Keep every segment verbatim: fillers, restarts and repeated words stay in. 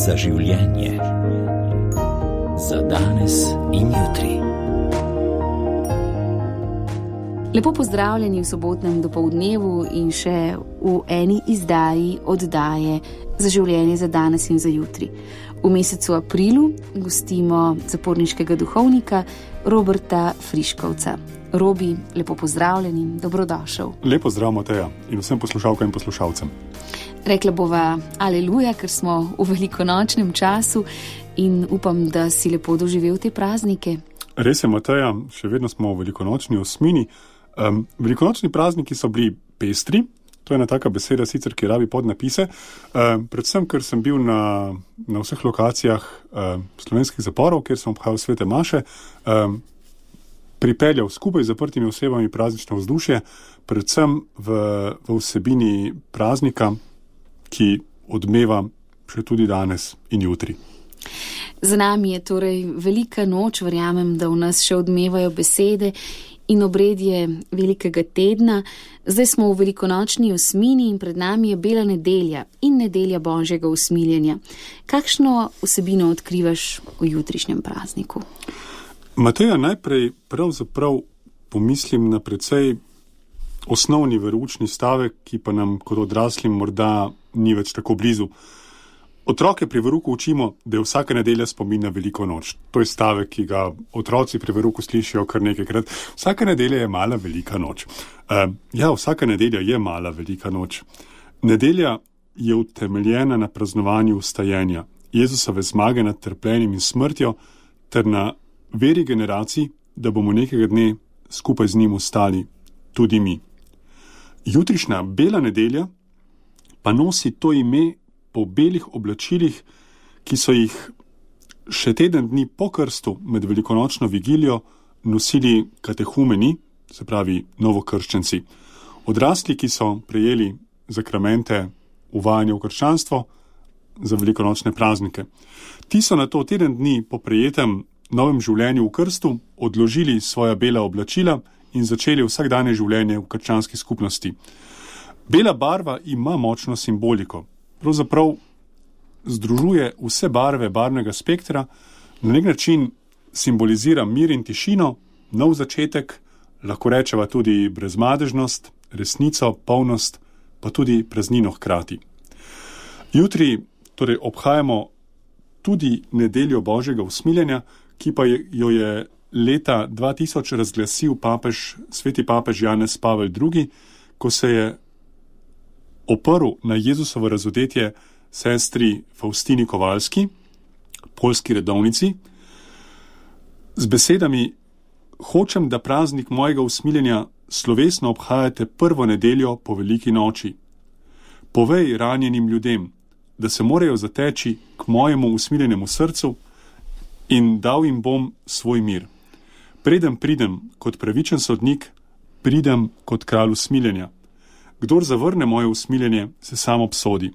za življenje, za danes in jutri. Lepo pozdravljeni v sobotnem dopoldnevu in še v eni izdaji oddaje za življenje, za danes in za jutri. V mesecu aprilu gostimo zaporniškega duhovnika Roberta Friškovca. Robi, lepo pozdravljen in dobrodošel. Lepo zdrav, Mateja, in vsem poslušalkam in poslušalcem. Rekla bova aleluja, ker smo v velikonočnem času in upam, da si lepo doživel te praznike. Res je, Mateja, še vedno smo v velikonočni osmini. Um, velikonočni prazniki so bili pestri, to je ena taka beseda sicer, ki rabi podnapise, um, predvsem, ker sem bil na, na vseh lokacijah um, slovenskih zaporov, kjer sem obhajal svete maše, um, pripeljal skupaj z zaprtimi osebami praznično vzdušje, predvsem v, v vsebini praznika, ki odmeva še tudi danes in jutri. Za nami je torej velika noč, verjamem, da v nas še odmevajo besede in obredje velikega tedna. Zdaj smo v velikonočni osmini in pred nami je bela nedelja in nedelja Božjega usmiljenja. Kakšno vsebino odkrivaš v jutrišnjem prazniku? Mateja, najprej pravzaprav pomislim na precej osnovni veroučni stavek, ki pa nam kot odraslim morda ni več tako blizu. Otroke pri veruku učimo, da je vsaka nedelja spomin na veliko noč. To je stavek, ki ga otroci pri veruku slišijo kar nekajkrat. Vsaka nedelja je mala velika noč. Uh, ja, vsaka nedelja je mala velika noč. Nedelja je utemeljena na praznovanju vstajenja, Jezusove zmage nad trpljenjem in smrtjo, ter na veri generacij, da bomo nekega dne skupaj z njim ostali tudi mi. Jutrišnja bela nedelja pa nosi to ime po belih oblačilih, ki so jih še teden dni po krstu med velikonočno vigilijo nosili katehumeni, se pravi novokrščenci. Odrasli, ki so prejeli zakramente uvajanja v krščanstvo za velikonočne praznike. Ti so nato teden dni po prejetem novem življenju v krstu odložili svoja bela oblačila in začeli vsakdanje življenje v krščanski skupnosti. Bela barva ima močno simboliko. Pravzaprav združuje vse barve barvnega spektra, na nek način simbolizira mir in tišino, nov začetek, lahko rečeva tudi brezmadežnost, resnico, polnost, pa tudi praznino hkrati. Jutri torej obhajamo tudi nedeljo Božjega usmiljenja, ki pa jo je leta dva tisoč razglasil papež, sveti papež Janez Pavel drugi, ko se je oprl na Jezusovo razodetje sestri Faustini Kovalski, poljski redovnici, z besedami: hočem, da praznik mojega usmiljenja slovesno obhajate prvo nedeljo po veliki noči. Povej ranjenim ljudem, da se morajo zateči k mojemu usmiljenemu srcu in dal jim bom svoj mir. Preden pridem kot pravičen sodnik, pridem kot kralj usmiljenja. Kdor zavrne moje usmiljenje, se sam obsodi.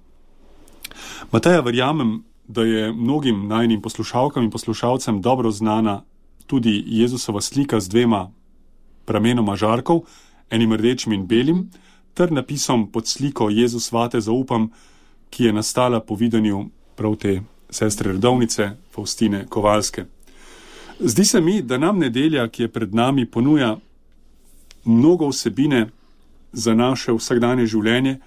Mateja, verjamem, da je mnogim najnim poslušalkam in poslušalcem dobro znana tudi Jezusova slika z dvema pramenoma žarkov, enim rdečim in belim, ter napisom pod sliko Jezus vate zaupam, ki je nastala po videnju prav te sestre redovnice Faustine Kovalske. Zdi se mi, da nam nedelja, ki je pred nami, ponuja mnogo vsebine za naše vsakdanje življenje,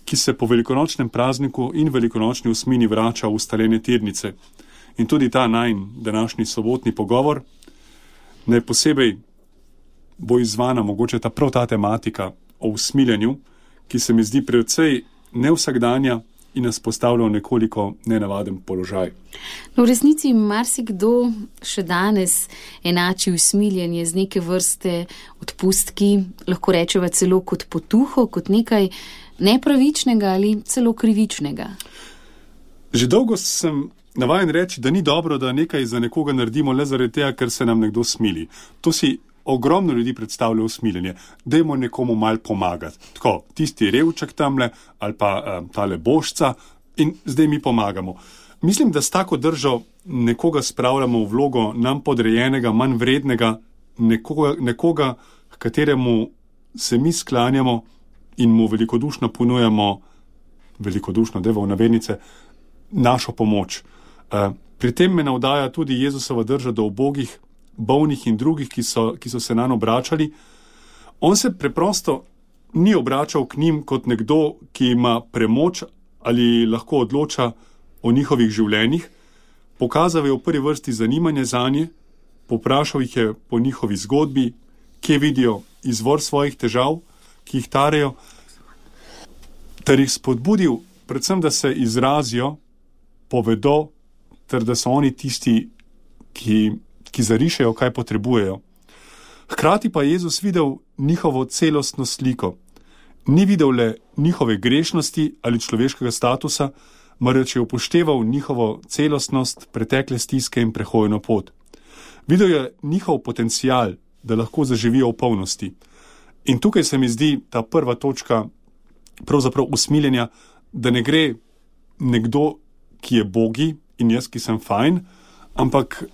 ki se po velikonočnem prazniku in velikonočni osmini vrača v ustaljene tirnice. In tudi ta najin današnji sobotni pogovor, naj posebej bo izvana mogoče ta prav ta tematika o usmiljenju, ki se mi zdi precej nevsakdanja in nas postavlja v nekoliko nenavaden položaj. No, v resnici marsikdo še danes enači usmiljenje z neke vrste odpustki, lahko rečeva celo kot potuho, kot nekaj nepravičnega ali celo krivičnega. Že dolgo sem navajen reči, da ni dobro, da nekaj za nekoga naredimo le zaradi tega, ker se nam nekdo smili. To si ogromno ljudi predstavlja usmiljenje. Dajmo nekomu mal pomagati. Tako, tisti revčak tamle ali pa um, tale božca in zdaj mi pomagamo. Mislim, da s tako držo nekoga spravljamo v vlogo nam podrejenega, manj vrednega, nekoga, nekoga kateremu se mi sklanjamo in mu velikodušno ponujamo, velikodušno, devo v navednice, našo pomoč. Pri tem me navdaja tudi Jezusova drža do ubogih, bolnih in drugih, ki so, ki so se nanj obračali. On se preprosto ni obračal k njim kot nekdo, ki ima premoč ali lahko odloča o njihovih življenjih. Pokazal je v prvi vrsti zanimanje zanje, poprašal jih je po njihovi zgodbi, kje vidijo izvor svojih težav, ki jih tarejo, ter jih spodbudil, predvsem, da se izrazijo, povedo, ter da so oni tisti, ki, ki zarišejo, kaj potrebujejo. Hkrati pa je Jezus videl njihovo celostno sliko. Ni videl le njihove grešnosti ali človeškega statusa, marveč je upošteval njihovo celostnost, pretekle stiske in prehojeno pot. Videl je njihov potencial, da lahko zaživijo v polnosti. In tukaj se mi zdi ta prva točka pravzaprav usmiljenja, da ne gre nekdo, ki je bogi in jaz, ki sem fajn, ampak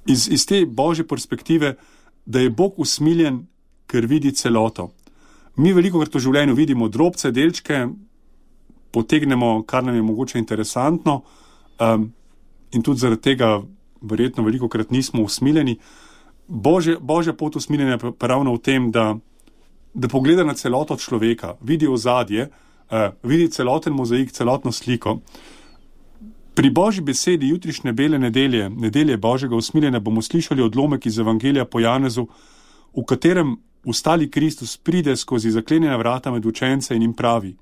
iz, iz te božje perspektive, da je Bog usmiljen, ker vidi celoto. Mi veliko krat v življenju vidimo drobce, delčke, potegnemo, kar nam je mogoče interesantno, um, in tudi zaradi tega verjetno veliko krat nismo usmiljeni. Božja, božja pot usmiljenja je pa ravno v tem, da, da pogleda na celoto človeka, vidi ozadje, uh, vidi celoten mozaik, celotno sliko. Pri Božji besedi jutrišnje bele nedelje, nedelje Božjega usmiljenja, bomo slišali odlomek iz Evangelija po Janezu, v katerem ustali Kristus pride skozi zaklenjena vrata med učence in jim pravi: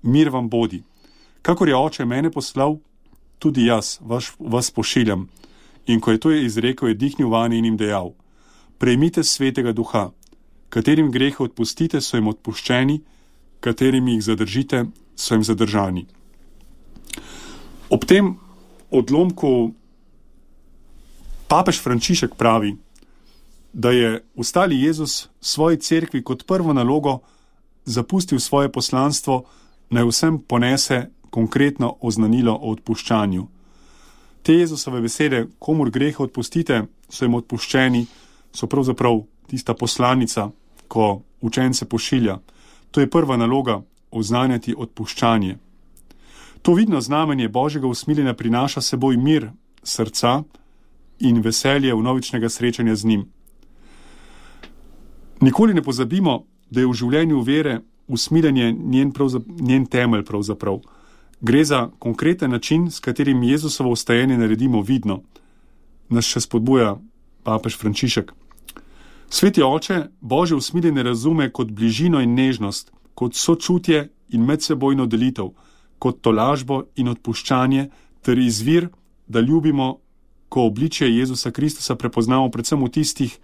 mir vam bodi. Kakor je Oče mene poslal, tudi jaz vas, vas pošiljam. In ko je to izrekel, je dihnil vanje in jim dejal: prejmite svetega duha, katerim grehe odpustite, so jim odpuščeni, katerim jih zadržite, so jim zadržani. Ob tem odlomku papež Frančišek pravi, da je ustali Jezus svoji cerkvi kot prvo nalogo zapustil svoje poslanstvo, naj vsem ponese konkretno oznanilo o odpuščanju. Te Jezusove besede, komur grehe odpustite, so jim odpuščeni, so pravzaprav tista poslanica, ko učence pošilja. To je prva naloga, oznanjati odpuščanje. To vidno znamenje Božjega usmiljenja prinaša seboj mir srca in veselje vnovičnega srečanja z njim. Nikoli ne pozabimo, da je v življenju vere usmiljenje njen, njen temelj pravzaprav. Gre za konkreten način, s katerim Jezusovo vstajenje naredimo vidno. Nas še spodbuja papež Frančišek. Sveti Oče Božje usmiljenje razume kot bližino in nežnost, kot sočutje in medsebojno delitev, kot tolažbo in odpuščanje ter izvir, da ljubimo, ko obličje Jezusa Kristusa prepoznamo predvsem v tistih,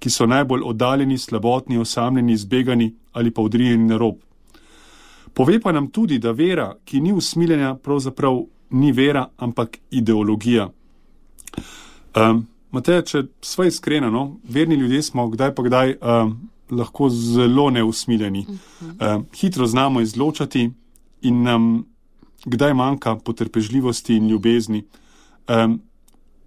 ki so najbolj oddaljeni, slabotni, osamljeni, zbegani ali pa odrinjeni na rob. Pove pa nam tudi, da vera, ki ni usmiljenja, pravzaprav ni vera, ampak ideologija. Um, Mateja, če sva iskrena, no, verni ljudje smo kdaj pa kdaj um, lahko zelo neusmiljeni. Um, hitro znamo izločati in nam kdaj manjka potrpežljivosti in ljubezni. Um,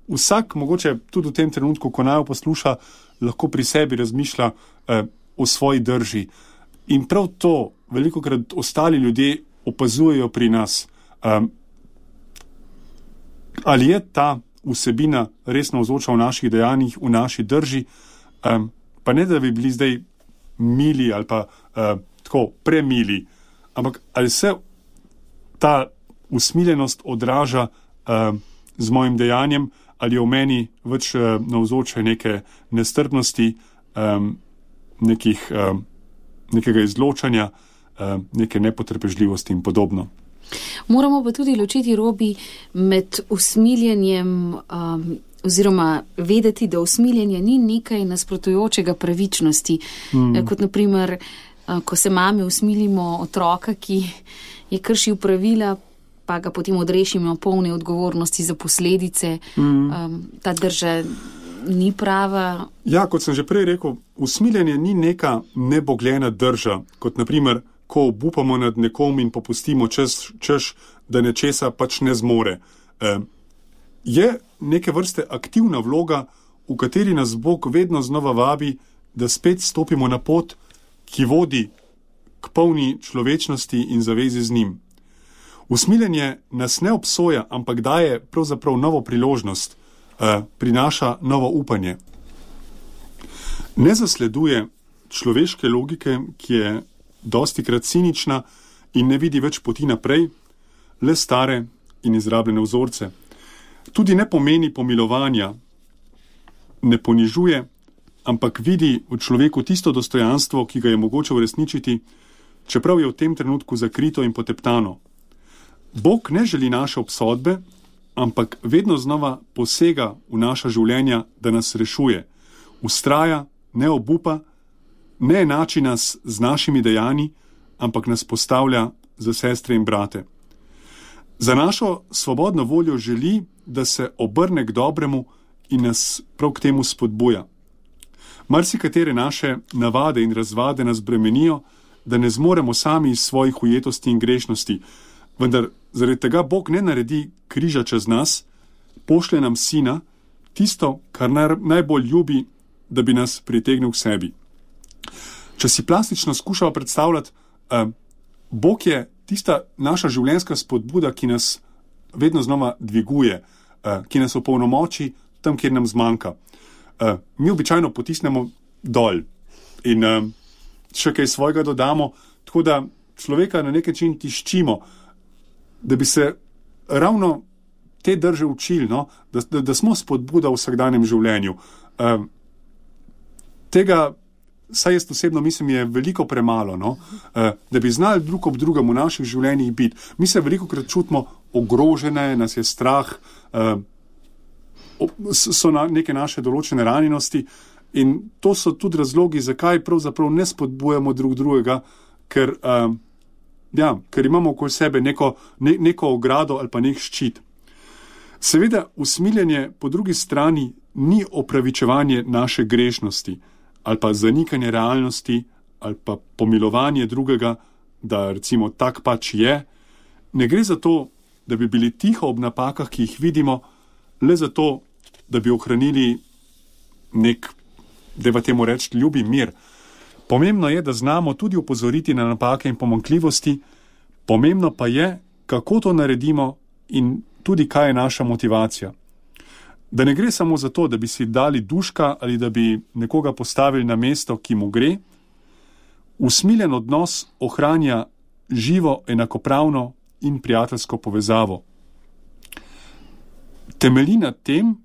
vsak, mogoče tudi v tem trenutku, ko naj posluša, lahko pri sebi razmišlja uh, o svoji drži. In prav to velikokrat ostali ljudje opazujejo pri nas. Um, ali je ta vsebina res navzoča v naših dejanjih, v naši drži, um, pa ne da bi bili zdaj mili ali pa uh, tako premili, ampak ali se ta usmiljenost odraža uh, z mojim dejanjem, ali je v meni več uh, navzoče neke nestrpnosti, um, nekih, uh, nekega izločanja, uh, neke nepotrpežljivosti in podobno. Moramo pa tudi ločiti, Robi, med usmiljenjem um, oziroma vedeti, da usmiljenje ni nekaj nasprotujočega pravičnosti. Mm. Kot naprimer, uh, ko se mame usmilimo otroka, ki je kršil pravila, pa ga potem odrešimo polne odgovornosti za posledice. Mm. Um, ta drža ni prava. Ja, kot sem že prej rekel, usmiljenje ni neka nebogljena drža, kot naprimer, ko obupamo nad nekom in popustimo čez, češ, da nečesa pač ne zmore. E, je neke vrste aktivna vloga, v kateri nas Bog vedno znova vabi, da spet stopimo na pot, ki vodi k polni človečnosti in zavezi z njim. Usmiljenje nas ne obsoja, ampak daje pravzaprav novo priložnost, eh, prinaša novo upanje. Ne zasleduje človeške logike, ki je dostikrat cinična in ne vidi več poti naprej, le stare in izrabljene vzorce. Tudi ne pomeni pomilovanja, ne ponižuje, ampak vidi v človeku tisto dostojanstvo, ki ga je mogoče uresničiti, čeprav je v tem trenutku zakrito in poteptano. Bog ne želi naše obsodbe, ampak vedno znova posega v naša življenja, da nas rešuje. Ustraja, ne obupa, ne enači nas z našimi dejanji, ampak nas postavlja za sestre in brate. Za našo svobodno voljo želi, da se obrne k dobremu in nas prav k temu spodbuja. Marsikatere naše navade in razvade nas bremenijo, da ne zmoremo sami iz svojih ujetosti in grešnosti, vendar zaradi tega Bog ne naredi križa čez nas, pošlje nam sina, tisto, kar najbolj ljubi, da bi nas pritegnil k sebi. Če si plastično skušamo predstavljati, eh, Bog je tista naša življenjska spodbuda, ki nas vedno znova dviguje, eh, ki nas opolnomoči tam, kjer nam zmanjka. Eh, mi običajno potisnemo dol in eh, še kaj svojega dodamo, tako da človeka na nek način tiščimo, da bi se ravno te drže učili, no? da, da, da smo spodbuda v vsakdanjem življenju. Eh, tega, saj jaz osebno mislim, je veliko premalo, no? eh, da bi znali drug ob drugem v naših življenjih biti. Mi se veliko krat čutimo ogrožene, nas je strah, eh, so na neke naše določene ranjenosti in to so tudi razlogi, zakaj pravzaprav ne spodbujamo drug drugega, ker, uh, ja, ker imamo okoli sebe neko, ne, neko ogrado ali pa nek ščit. Seveda, usmiljenje po drugi strani ni opravičevanje naše grešnosti ali pa zanikanje realnosti ali pa pomilovanje drugega, da recimo tak pač je. Ne gre za to, da bi bili tiho ob napakah, ki jih vidimo, le zato, da bi ohranili nek, dajva temu reči, ljubi mir. Pomembno je, da znamo tudi opozoriti na napake in pomanjkljivosti, pomembno pa je, kako to naredimo in tudi kaj je naša motivacija. Da ne gre samo za to, da bi si dali duška ali da bi nekoga postavili na mesto, ki mu gre. Usmiljen odnos ohranja živo, enakopravno in prijateljsko povezavo. Temelji na tem,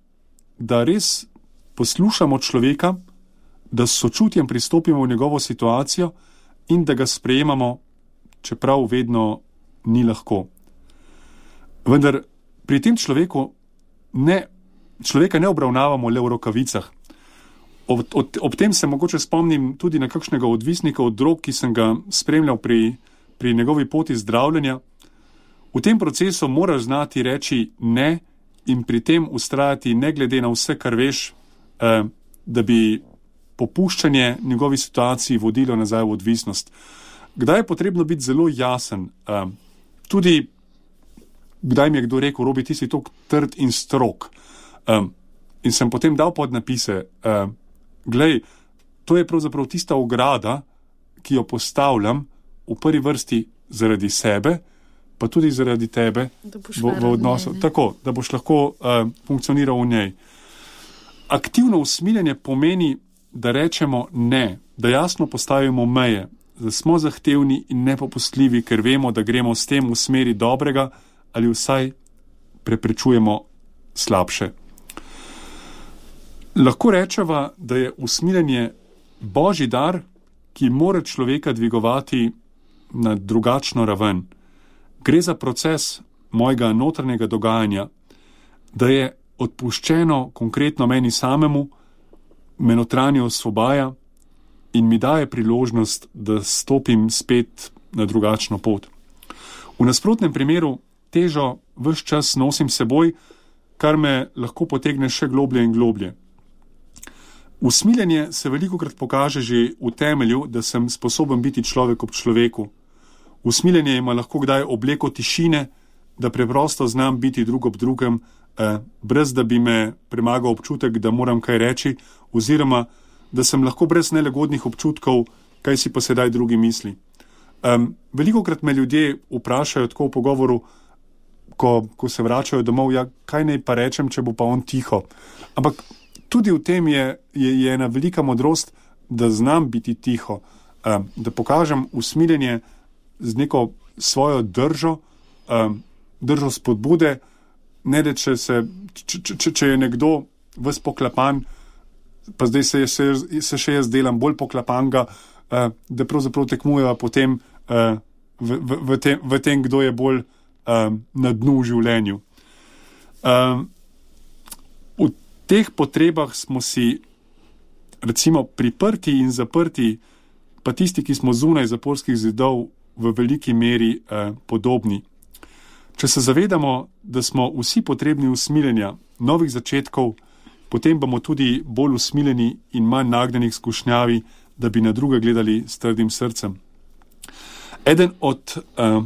da res poslušamo človeka, da s sočutjem pristopimo v njegovo situacijo in da ga sprejemamo, čeprav vedno ni lahko. Vendar pri tem človeku ne, človeka ne obravnavamo le v rokavicah. Ob, ob, ob tem se mogoče spomnim tudi na kakšnega odvisnika od drog, ki sem ga spremljal pri, pri njegovi poti zdravljenja. V tem procesu moraš znati reči ne in pri tem ustrajati ne glede na vse, kar veš, eh, da bi popuščanje njegovi situaciji vodilo nazaj v odvisnost. Kdaj je potrebno biti zelo jasen? Eh, tudi, kdaj mi je kdo rekel, Robi, ti si tako trd in strog. Eh, in sem potem dal podnapise, eh, glej, to je pravzaprav tista ograda, ki jo postavljam v prvi vrsti zaradi sebe, pa tudi zaradi tebe v, v odnosu. Njej, tako, da boš lahko uh, funkcioniral v njej. Aktivno usmiljenje pomeni, da rečemo ne, da jasno postavimo meje, da smo zahtevni in nepopustljivi, ker vemo, da gremo s tem v smeri dobrega ali vsaj preprečujemo slabše. Lahko rečeva, da je usmiljenje božji dar, ki mora človeka dvigovati na drugačno raven. Gre za proces mojega notranjega dogajanja, da je odpuščeno konkretno meni samemu, me notranje osvobaja in mi daje priložnost, da stopim spet na drugačno pot. V nasprotnem primeru težo ves čas nosim seboj, kar me lahko potegne še globlje in globlje. Usmiljenje se velikokrat pokaže že v temelju, da sem sposoben biti človek ob človeku. Usmiljenje ima lahko kdaj obleko tišine, da preprosto znam biti drug ob drugem, eh, brez da bi me premagal občutek, da moram kaj reči, oziroma da sem lahko brez nelagodnih občutkov, kaj si pa sedaj drugi misli. Um, velikokrat me ljudje vprašajo tako v pogovoru, ko, ko se vračajo domov, ja, kaj naj pa rečem, če bo pa on tiho. Ampak tudi v tem je, je, je ena velika modrost, da znam biti tiho, um, da pokažem usmiljenje z neko svojo držo, um, držo spodbude, ne da če, se, če, če, če je nekdo ves poklapan, pa zdaj se, se, se še jaz delam bolj poklapanga, uh, da pravzaprav tekmujeva potem uh, v, v, v, tem, v tem, kdo je bolj um, na dnu v življenju. Um, v teh potrebah smo si recimo priprti in zaprti, pa tisti, ki smo zunaj zaporskih zidov, v veliki meri eh, podobni. Če se zavedamo, da smo vsi potrebni usmiljenja, novih začetkov, potem bomo tudi bolj usmiljeni in manj nagnjeni k skušnjavi, da bi na druge gledali s trdim srcem. Eden od eh,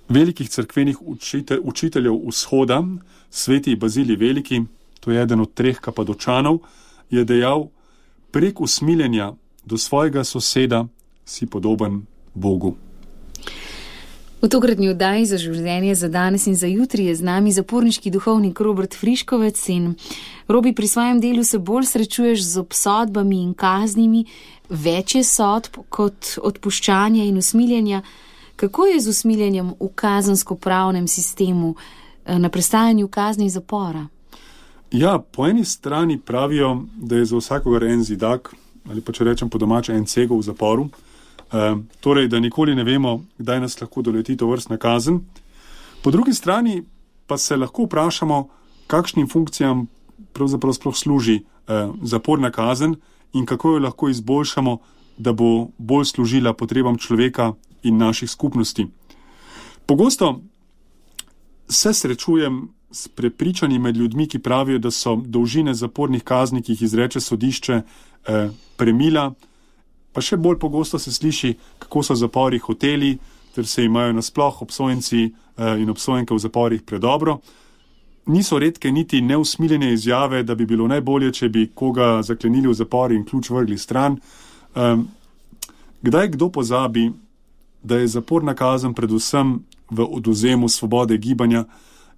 velikih cerkvenih učite, učiteljev vzhoda, sveti Bazilij Veliki, to je eden od treh Kapadočanov, je dejal: prek usmiljenja do svojega soseda si podoben Bogu. V tokratni oddaji Za življenje, za danes in za jutri je z nami zaporniški duhovnik Robert Friškovec. In Robi, pri svojem delu se bolj srečuješ z obsodbami in kaznimi, več je sodb kot odpuščanja in usmiljenja. Kako je z usmiljenjem v kazensko-pravnem sistemu na prestajanju kazni zapora? Ja, po eni strani pravijo, da je za vsakogar en zidak, ali pa če rečem po domače en cegel v zaporu, Uh, torej, da nikoli ne vemo, kdaj nas lahko doleti tovrstna kazen. Po drugi strani pa se lahko vprašamo, kakšnim funkcijam pravzaprav sploh služi uh, zaporna kazen in kako jo lahko izboljšamo, da bo bolj služila potrebam človeka in naših skupnosti. Pogosto se srečujem s prepričanji med ljudmi, ki pravijo, da so dolžine zapornih kazni, ki jih izreče sodišče, uh, premila. Pa še bolj pogosto se sliši, kako so zapori hoteli, ter se imajo nasploh obsojenci in obsojenke v zaporih predobro. Niso redke niti neusmiljene izjave, da bi bilo najbolje, če bi koga zaklenili v zapor in ključ vrgli stran. Kdaj kdo pozabi, da je zaporna kazen predvsem v odvzemu svobode gibanja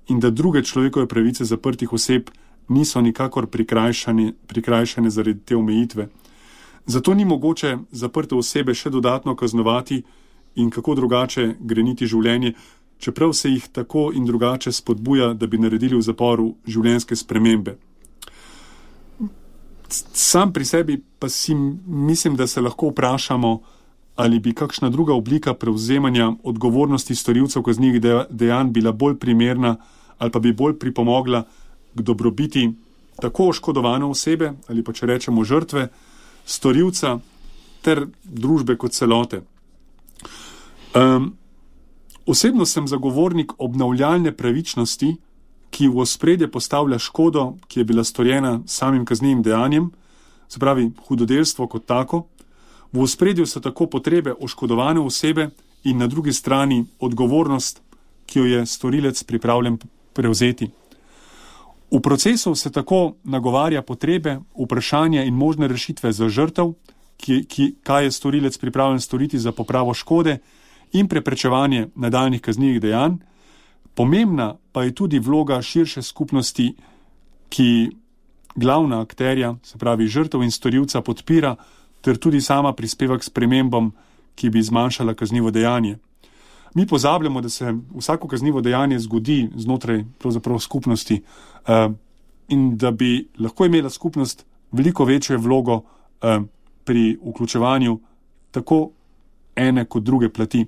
in da druge človekove pravice zaprtih oseb niso nikakor prikrajšane, prikrajšane zaradi te omejitve. Zato ni mogoče zaprte osebe še dodatno kaznovati in kako drugače greniti življenje, čeprav se jih tako in drugače spodbuja, da bi naredili v zaporu življenjske spremembe. Sam pri sebi pa si mislim, da se lahko vprašamo, ali bi kakšna druga oblika prevzemanja odgovornosti storilcev kaznivih dejanj bila bolj primerna ali pa bi bolj pripomogla k dobrobiti tako oškodovane osebe ali pa če rečemo žrtve, storilca ter družbe kot celote. Um, osebno sem zagovornik obnavljalne pravičnosti, ki v ospredje postavlja škodo, ki je bila storjena samim kaznivim dejanjem, se pravi hudodelstvo kot tako. V ospredju so tako potrebe oškodovane osebe in na drugi strani odgovornost, ki jo je storilec pripravljen prevzeti. V procesu se tako nagovarja potrebe, vprašanja in možne rešitve za žrtev, ki, ki, kaj je storilec pripravljen storiti za popravo škode in preprečevanje nadaljnjih kaznivih dejanj. Pomembna pa je tudi vloga širše skupnosti, ki glavna akterja, se pravi žrtev in storilca, podpira ter tudi sama prispeva k spremembam, ki bi zmanjšala kaznivo dejanje. Mi pozabljamo, da se vsako kaznivo dejanje zgodi znotraj pravzaprav skupnosti uh, in da bi lahko imela skupnost veliko večjo vlogo uh, pri vključevanju tako ene kot druge plati.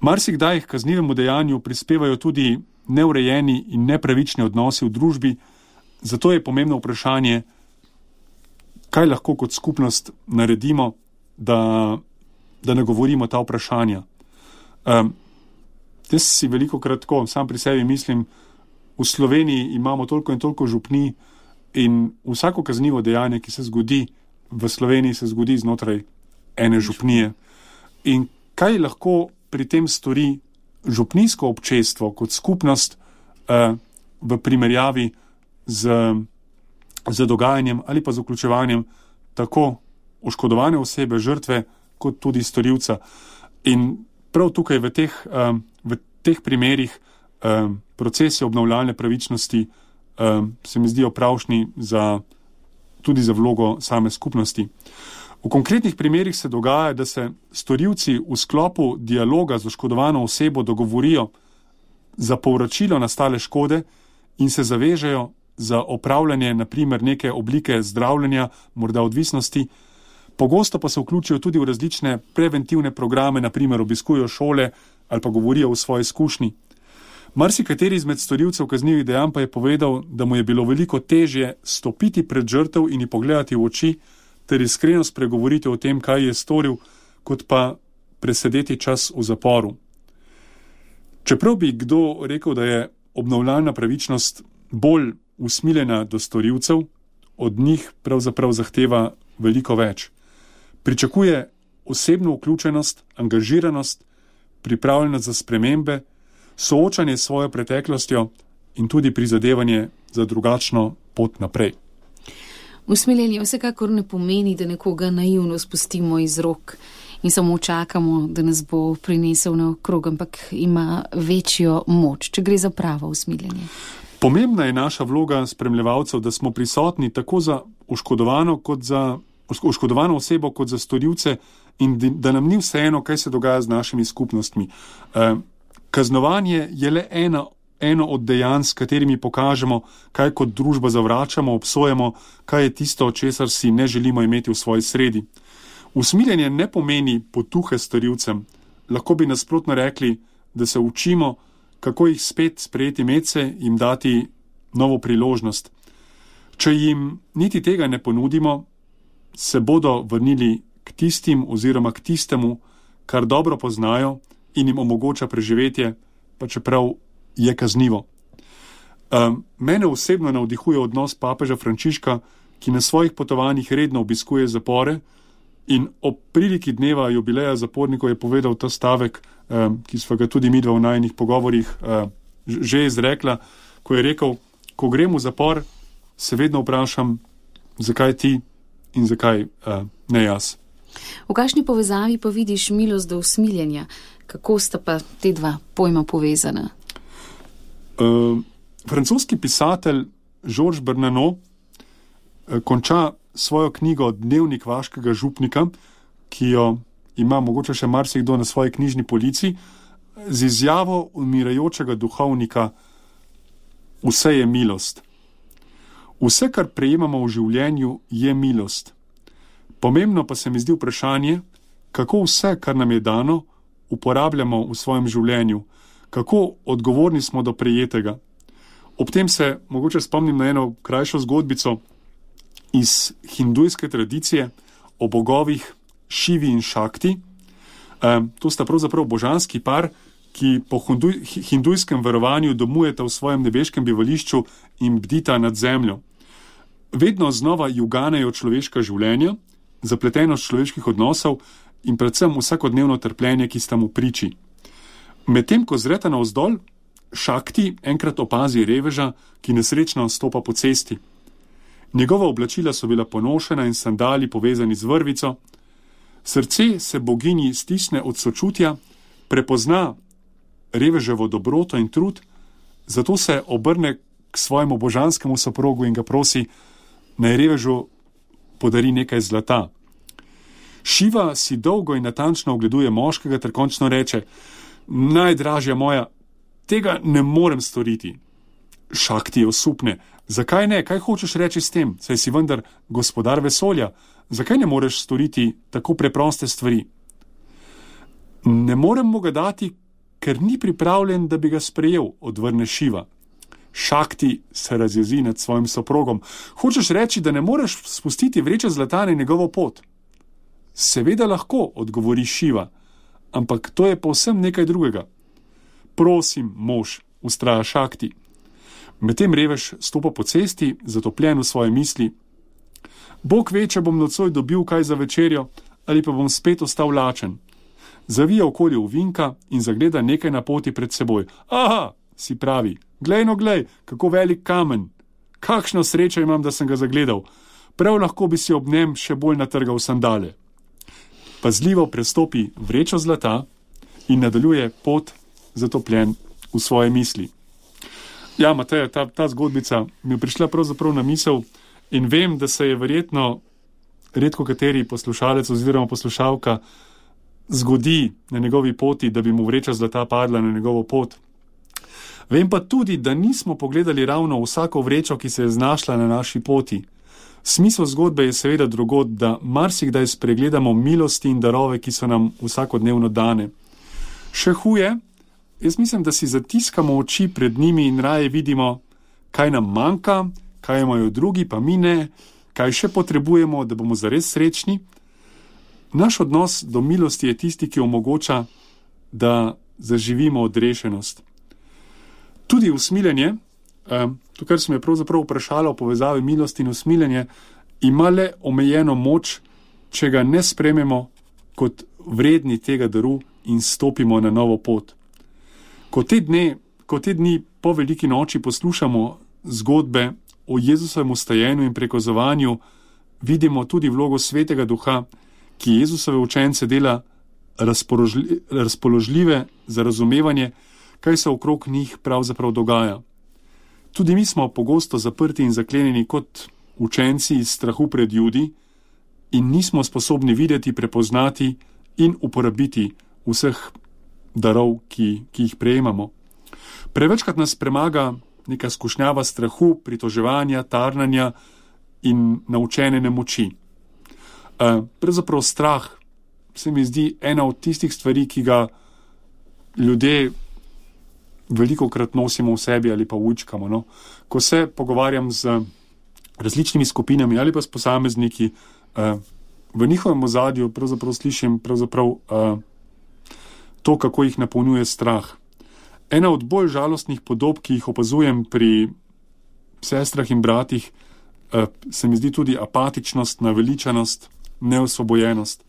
Marsikdaj k kaznivemu dejanju prispevajo tudi neurejeni in nepravični odnosi v družbi, zato je pomembno vprašanje, kaj lahko kot skupnost naredimo, da, da ne govorimo ta vprašanja. Um, jaz si veliko krat tako, sam pri sebi mislim, v Sloveniji imamo toliko in toliko župnij in vsako kaznivo dejanje, ki se zgodi v Sloveniji, se zgodi znotraj ene župnije. In kaj lahko pri tem stori župnijsko občestvo kot skupnost uh, v primerjavi z, z dogajanjem ali pa z vključevanjem tako oškodovane osebe, žrtve, kot tudi storilca. In prav tukaj v teh, um, v teh primerih um, procesi obnavljalne pravičnosti um, se mi zdijo pravšni za, tudi za vlogo same skupnosti. V konkretnih primerih se dogaja, da se storilci v sklopu dialoga z oškodovano osebo dogovorijo za povračilo nastale škode in se zavežejo za opravljanje na primer neke oblike zdravljenja, morda odvisnosti. Pogosto pa se vključijo tudi v različne preventivne programe, na primer obiskujo šole ali pa govorijo o svoji izkušnji. Marsikateri izmed storilcev kaznivih dejanj pa je povedal, da mu je bilo veliko težje stopiti pred žrtev in ji pogledati v oči ter iskreno spregovoriti o tem, kaj je storil, kot pa presedeti čas v zaporu. Čeprav bi kdo rekel, da je obnavljalna pravičnost bolj usmiljena do storilcev, od njih pravzaprav zahteva veliko več. Pričakuje osebno vključenost, angažiranost, pripravljenost za spremembe, soočanje s svojo preteklostjo in tudi prizadevanje za drugačno pot naprej. Usmiljenje vsekakor ne pomeni, da nekoga naivno spustimo iz rok in samo čakamo, da nas bo prinesel naokrog, ampak ima večjo moč, če gre za pravo usmiljenje. Pomembna je naša vloga spremljevalcev, da smo prisotni tako za oškodovano, kot za, oškodovano osebo kot za storilce in da nam ni vseeno, kaj se dogaja z našimi skupnostmi. Eh, kaznovanje je le ena eno od dejanj, s katerimi pokažemo, kaj kot družba zavračamo, obsojamo, kaj je tisto, česar si ne želimo imeti v svoji sredi. Usmiljenje ne pomeni potuhe storilcem. Lahko bi nasprotno rekli, da se učimo, kako jih spet sprejeti medse, jim dati novo priložnost. Če jim niti tega ne ponudimo, se bodo vrnili k tistim oziroma k tistemu, kar dobro poznajo in jim omogoča preživetje, pa čeprav je kaznivo. Um, mene osebno navdihuje odnos papeža Frančiška, ki na svojih potovanjih redno obiskuje zapore in ob priliki dneva jubileja zapornikov je povedal ta stavek, um, ki sva ga tudi midva v najinih pogovorih uh, že izrekla, ko je rekel, ko grem v zapor, se vedno vprašam, zakaj ti in zakaj uh, ne jaz. V kakšni povezavi pa vidiš milost do usmiljenja? Kako sta pa te dva pojma povezana? Uh, francoski pisatelj Georges Bernanos uh, konča svojo knjigo Dnevnik vaškega župnika, ki jo ima mogoče še marsikdo na svoji knjižni polici, z izjavo umirajočega duhovnika: vse je milost. Vse, kar prejemamo v življenju, je milost. Pomembno pa se mi zdi vprašanje, kako vse, kar nam je dano, uporabljamo v svojem življenju, kako odgovorni smo do prejetega. Ob tem se mogoče spomnim na eno krajšo zgodbico iz hindujske tradicije o bogovih Šivi in Šakti. E, to sta pravzaprav božanski par, ki po hinduj, hindujskem verovanju domujeta v svojem nebeškem bivališču in bdita nad zemljo. Vedno znova juganejo človeška življenja, zapletenost človeških odnosov in predvsem vsakodnevno trpljenje, ki sta mu priči. Medtem ko zreta navzdol, Šakti enkrat opazi reveža, ki nesrečno stopa po cesti. Njegova oblačila so bila ponošena in sandali povezani z vrvico. Srce se boginji stisne od sočutja, prepozna reveževo dobroto in trud, zato se obrne k svojemu božanskemu soprogu in ga prosi, naj revežu podari nekaj zlata. Šiva si dolgo in natančno ogleduje moškega ter končno reče: najdražja moja, tega ne morem storiti. Šakti osupne: zakaj ne, kaj hočeš reči s tem, saj si vendar gospodar vesolja, zakaj ne moreš storiti tako preproste stvari? Ne morem mu ga dati, ker ni pripravljen, da bi ga sprejel, odvrne Šiva. Šakti se razjezi nad svojim soprogom: hočeš reči, da ne moreš spustiti vreče zlata na njegovo pot? Seveda lahko, odgovori Šiva, ampak to je povsem nekaj drugega. Prosim, mož, vztraja Šakti. Medtem revež stopa po cesti, zatopljen v svoje misli. Bog ve, če bom nocoj dobil kaj za večerjo, ali pa bom spet ostal lačen. Zavija okoli ovinka in zagleda nekaj na poti pred seboj. Aha, si pravi, glej no glej, kako velik kamen. Kakšno srečo imam, da sem ga zagledal. Prav lahko bi si ob njem še bolj natrgal sandale. Pazljivo prestopi vrečo zlata in nadaljuje pot zatopljen v svoje misli. Ja, Mateja, ta, ta zgodbica mi je prišla pravzaprav na misel in vem, da se je verjetno redko kateri poslušalec oziroma poslušalka zgodi na njegovi poti, da bi mu vreča zlata padla na njegovo pot. Vem pa tudi, da nismo pogledali ravno vsako vrečo, ki se je znašla na naši poti. Smisel zgodbe je seveda drugod, da marsikdaj spregledamo milosti in darove, ki so nam vsakodnevno dane. Še huje, jaz mislim, da si zatiskamo oči pred njimi in raje vidimo, kaj nam manjka, kaj imajo drugi, pa mi ne, kaj še potrebujemo, da bomo zares srečni. Naš odnos do milosti je tisti, ki omogoča, da zaživimo odrešenost. Tudi usmiljenje, to, kar sem je pravzaprav vprašala o povezavi milosti in usmiljenje, ima le omejeno moč, če ga ne sprememo kot vredni tega daru in stopimo na novo pot. Ko te, dne, ko te dni po veliki noči poslušamo zgodbe o Jezusovem ustajenju in prekozovanju, vidimo tudi vlogo Svetega Duha, ki Jezusove učence dela razpoložljive, razpoložljive za razumevanje, kaj se okrog njih pravzaprav dogaja. Tudi mi smo pogosto zaprti in zaklenjeni kot učenci iz strahu pred Judi in nismo sposobni videti, prepoznati in uporabiti vseh darov, ki, ki jih prejemamo. Prevečkrat nas premaga neka skušnjava strahu, pritoževanja, tarnanja in naučene nemoči. Uh, pravzaprav strah se mi zdi ena od tistih stvari, ki ga ljudje velikokrat nosimo v sebi ali pa učkamo. No? Ko se pogovarjam z različnimi skupinami ali pa s posamezniki, uh, v njihovem ozadju pravzaprav slišim pravzaprav uh, to, kako jih napolnjuje strah. Ena od bolj žalostnih podob, ki jih opazujem pri sestrah in bratih, uh, se mi zdi tudi apatičnost, naveličanost, neosvobojenost.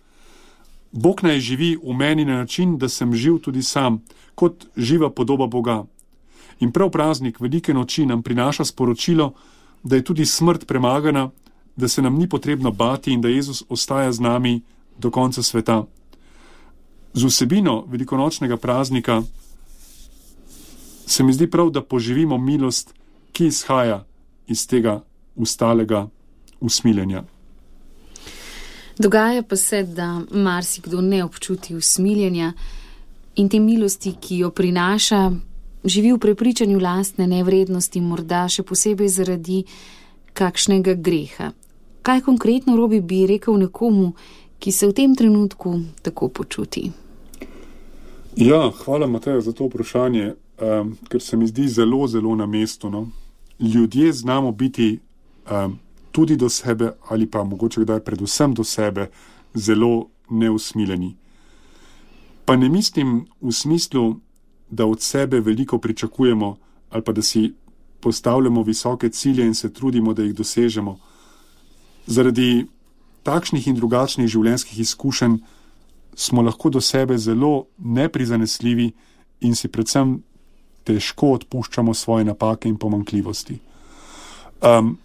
Bog naj živi v meni na način, da sem živ tudi sam, kot živa podoba Boga. In prav praznik velike noči nam prinaša sporočilo, da je tudi smrt premagana, da se nam ni potrebno bati in da Jezus ostaja z nami do konca sveta. Z vsebino velikonočnega praznika se mi zdi prav, da poživimo milost, ki izhaja iz tega ustalega usmiljenja. Dogaja pa se, da marsikdo ne občuti usmiljenja in te milosti, ki jo prinaša, živi v prepričanju lastne nevrednosti, morda še posebej zaradi kakšnega greha. Kaj konkretno, Robi, bi rekel nekomu, ki se v tem trenutku tako počuti? Ja, hvala, Mateja, za to vprašanje, um, ker se mi zdi zelo, zelo na mestu. No? Ljudje znamo biti um, tudi do sebe ali pa mogoče kdaj predvsem do sebe zelo neusmiljeni. Pa ne mislim v smislu, da od sebe veliko pričakujemo ali pa da si postavljamo visoke cilje in se trudimo, da jih dosežemo. Zaradi takšnih in drugačnih življenjskih izkušenj smo lahko do sebe zelo neprizanesljivi in si predvsem težko odpuščamo svoje napake in pomanjkljivosti. Um,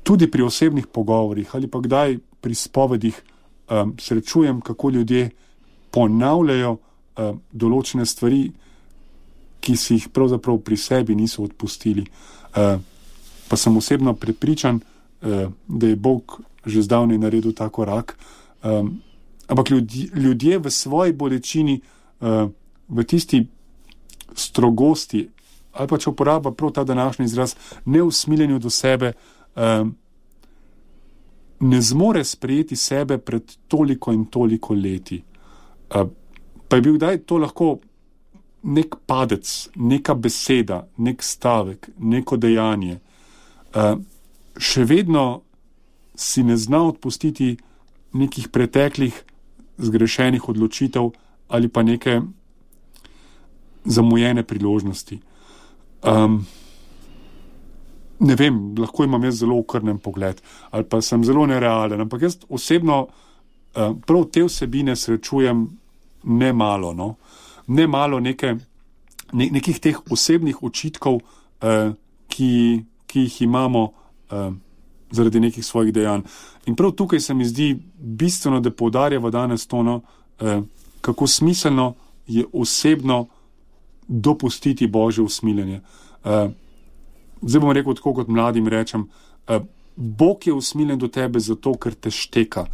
Tudi pri osebnih pogovorih ali pa kdaj pri spovedih um, srečujem, kako ljudje ponavljajo um, določene stvari, ki si jih pravzaprav pri sebi niso odpustili. Uh, pa sem osebno prepričan, uh, da je Bog že zdavnaj naredil ta korak. Um, ampak ljudje, ljudje v svoji bolečini, uh, v tisti strogosti, ali pa če uporaba prav ta današnji izraz, neusmiljenju do sebe, Um, ne zmore sprejeti sebe pred toliko in toliko leti. Uh, pa je bil kdaj to lahko nek padec, neka beseda, nek stavek, neko dejanje. Uh, še vedno si ne zna odpustiti nekih preteklih zgrešenih odločitev ali pa neke zamujene priložnosti. Um, Ne vem, lahko imam jaz zelo okrnen pogled ali pa sem zelo nerealen, ampak jaz osebno uh, prav te vsebine srečujem ne malo, no? ne malo neke, ne, nekih teh osebnih očitkov, uh, ki, ki jih imamo uh, zaradi nekih svojih dejanj. In prav tukaj se mi zdi bistveno, da poudarjamo danes to, no, uh, kako smiselno je osebno dopustiti Božje usmiljenje. Uh, zdaj bom rekel tako, kot mladim rečem, uh, Bog je usmiljen do tebe zato, ker te šteka,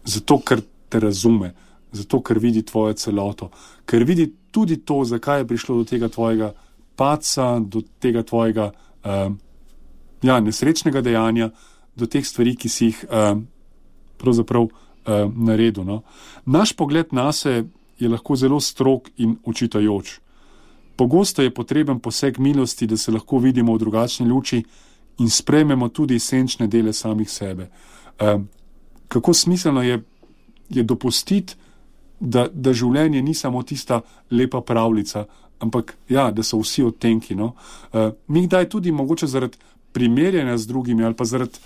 zato, ker te razume, zato, ker vidi tvojo celoto, ker vidi tudi to, zakaj je prišlo do tega tvojega padca, do tega tvojega uh, ja, nesrečnega dejanja, do teh stvari, ki si jih uh, pravzaprav uh, naredil. No? Naš pogled nase je lahko zelo strog in učitajoč. Pogosto je potreben poseg milosti, da se lahko vidimo v drugačni luči in sprejmemo tudi senčne dele samih sebe. Uh, kako smiselno je, je dopustiti, da, da življenje ni samo tista lepa pravljica, ampak ja, da so vsi odtenki. No? Uh, mi kdaj tudi mogoče zaradi primerjanja z drugimi ali pa zaradi,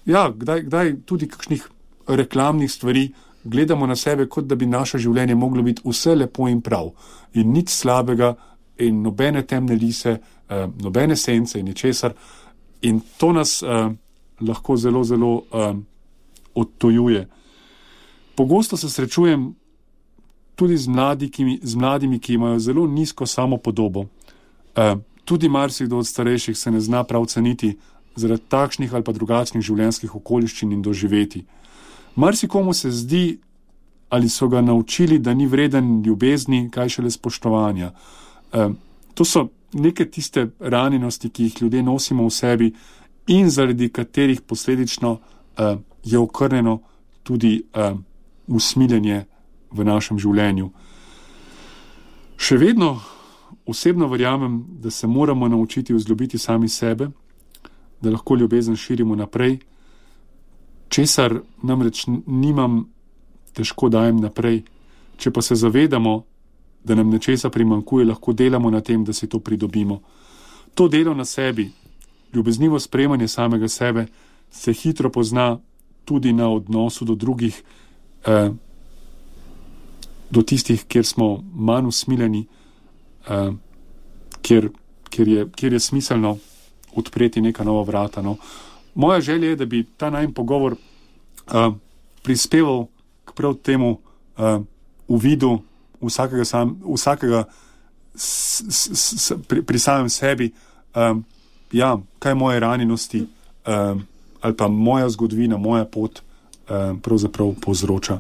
ja, kdaj, kdaj tudi kakšnih reklamnih stvari gledamo na sebe, kot da bi naše življenje moglo biti vse lepo in prav in nič slabega in nobene temne lise, uh, nobene sence in ničesar. In to nas uh, lahko zelo, zelo uh, odtojuje. Pogosto se srečujem tudi z, mladiki, z mladimi, ki imajo zelo nizko samopodobo. Uh, tudi marsikdo od starejših se ne zna prav ceniti zaradi takšnih ali pa drugačnih življenjskih okoliščin in doživeti. Marsikomu se zdi, ali so ga naučili, da ni vreden ljubezni, kaj šele spoštovanja. Uh, to so neke tiste ranjenosti, ki jih ljudje nosimo v sebi in zaradi katerih posledično uh, je okrnjeno tudi uh, usmiljenje v našem življenju. Še vedno osebno verjamem, da se moramo naučiti vzljubiti sami sebe, da lahko ljubezen širimo naprej, česar namreč nimam, težko dajem naprej. Če pa se zavedamo, da nam nečesa primanjkuje, lahko delamo na tem, da si to pridobimo. To delo na sebi, ljubeznivo sprejemanje samega sebe, se hitro pozna tudi na odnosu do drugih, eh, do tistih, kjer smo manj usmiljeni, eh, kjer, kjer, je, kjer je smiselno odpreti neka nova vrata. No. Moja želja je, da bi ta najin pogovor eh, prispeval k prav temu eh, uvidu vsakega, sam, vsakega s, s, s, pri, pri samem sebi, um, ja, kaj moje ranjenosti um, ali pa moja zgodovina, moja pot um, pravzaprav povzroča.